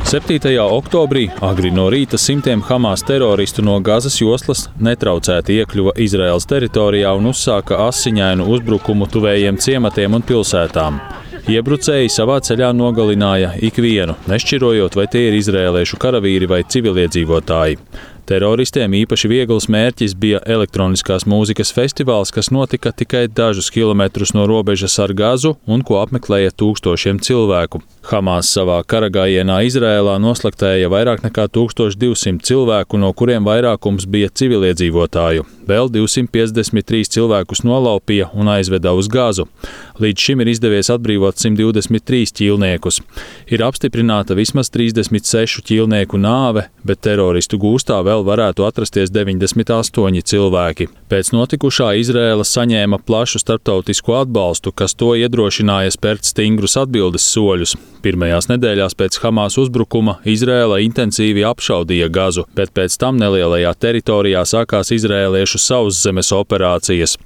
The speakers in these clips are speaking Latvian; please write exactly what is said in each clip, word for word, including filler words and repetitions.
septītajā oktobrī agri no rīta simtiem Hamas teroristu no Gazas joslas netraucēti iekļuva Izraēlas teritorijā un uzsāka asiņainu uzbrukumu tuvējiem ciematiem un pilsētām. Iebrucēji savā ceļā nogalināja ikvienu, nešķirojot, vai tie ir izrēliešu karavīri vai civiliedzīvotāji. Teroristiem īpaši viegls mērķis bija elektroniskās mūzikas festivāls, kas notika tikai dažus kilometrus no robežas ar Gazu un ko apmeklēja tūkstošiem cilvēku. Hamas savā karagājienā Izrēlā noslaktēja vairāk nekā tūkstoš divsimt cilvēku, no kuriem vairākums bija civiliedzīvotāju. Vēl divsimt piecdesmit trīs cilvēkus nolaupīja un aizveda uz Gazu. Līdz šim ir izdevies atbrīvot simt divdesmit trīs ķīlniekus. Ir apstiprināta vismaz trīsdesmit sešu ķīlnieku nāve, bet teroristu gūstā vēl varētu atrasties deviņdesmit astoņi cilvēki. Pēc notikušā Izrēla saņēma plašu starptautisku atbalstu, kas to iedrošināja spērt stingrus atbildes soļus. Pirmajās nedēļās pēc Hamas uzbrukuma Izrēla intensīvi apšaudīja Gazu, bet pēc tam nelielajā teritorijā sākās izrēliešu sauszemes operācijas.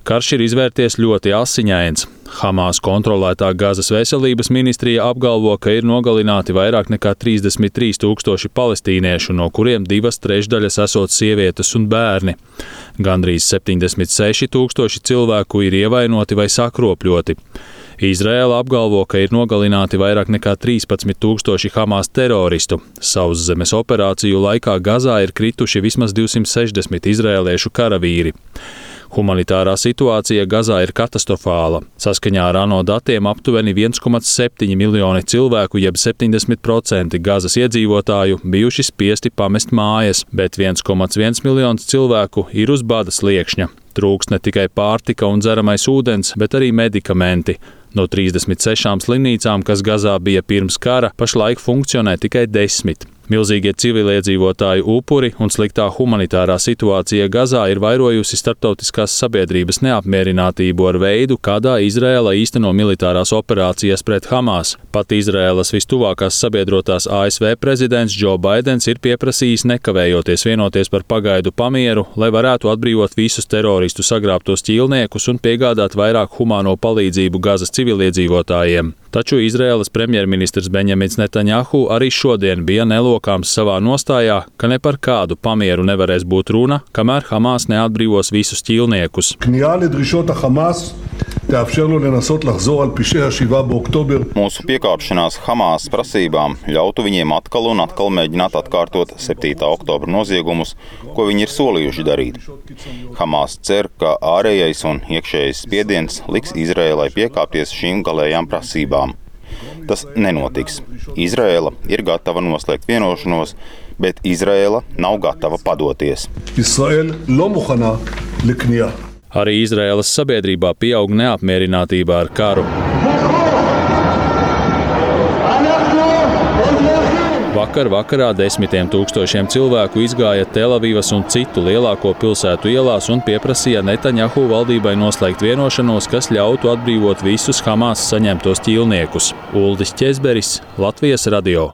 Karš ir izvērties ļoti asiņains. Hamas kontrolētā Gazas veselības ministrija apgalvo, ka ir nogalināti vairāk nekā trīsdesmit trīs tūkstoši palestīniešu, no kuriem divas trešdaļas esot sievietes un bērni. Gandrīz septiņdesmit seši tūkstoši cilvēku ir ievainoti vai sakropļoti. Izrēla apgalvo, ka ir nogalināti vairāk nekā trīspadsmit tūkstoši Hamas teroristu. Sauszemes operāciju laikā Gazā ir krituši vismaz divsimt sešdesmit izrēliešu karavīri. Humanitārā situācija Gazā ir katastrofāla. Saskaņā ar ANO datiem aptuveni viens komats septiņi miljoni cilvēku, jeb septiņdesmit procenti Gazas iedzīvotāju bijuši spiesti pamest mājas, bet viens komats viens miljons cilvēku ir uz bada sliekšņa. Trūkst ne tikai pārtika un dzeramais ūdens, bet arī medikamenti. No trīsdesmit sešām slimnīcām, kas Gazā bija pirms kara, pašlaik funkcionē tikai desmit. Milzīgie civiliedzīvotāju upuri un sliktā humanitārā situācija Gazā ir vairojusi starptautiskās sabiedrības neapmierinātību ar veidu, kādā Izrēla īsteno militārās operācijas pret Hamas. Pat Izrēlas vistuvākās sabiedrotās A S V prezidents Džo Baidens ir pieprasījis nekavējoties vienoties par pagaidu pamieru, lai varētu atbrīvot visus teroristu sagrābtos ķīlniekus un piegādāt vairāk humāno palīdzību Gazas civiliedzīvotājiem. Taču Izrēlas premjerministrs Benjamins Netanjahu arī šodien bija nelokāms savā nostājā, ka ne par kādu pamieru nevarēs būt runa, kamēr Hamas neatbrīvos visus ķīlniekus. Mūsu piekāpšanās Hamas prasībām ļautu viņiem atkal un atkal mēģināt atkārtot septītā oktobra noziegumus, ko viņi ir solījuši darīt. Hamas cer, ka ārējais un iekšējais spiediens liks Izrēlai piekāpties šīm galējām prasībām. Tas nenotiks. Izrēla ir gatava noslēgt vienošanos, bet Izrēla nav gatava padoties. Arī Izrēlas sabiedrībā pieaug neapmierinātība ar karu. Vakar vakarā desmitiem tūkstošiem cilvēku izgāja Telavivas un citu lielāko pilsētu ielās un pieprasīja Netanjahu valdībai noslēgt vienošanos, kas ļautu atbrīvot visus Hamas saņemtos ķīlniekus. Uldis Ķezberis, Latvijas radio.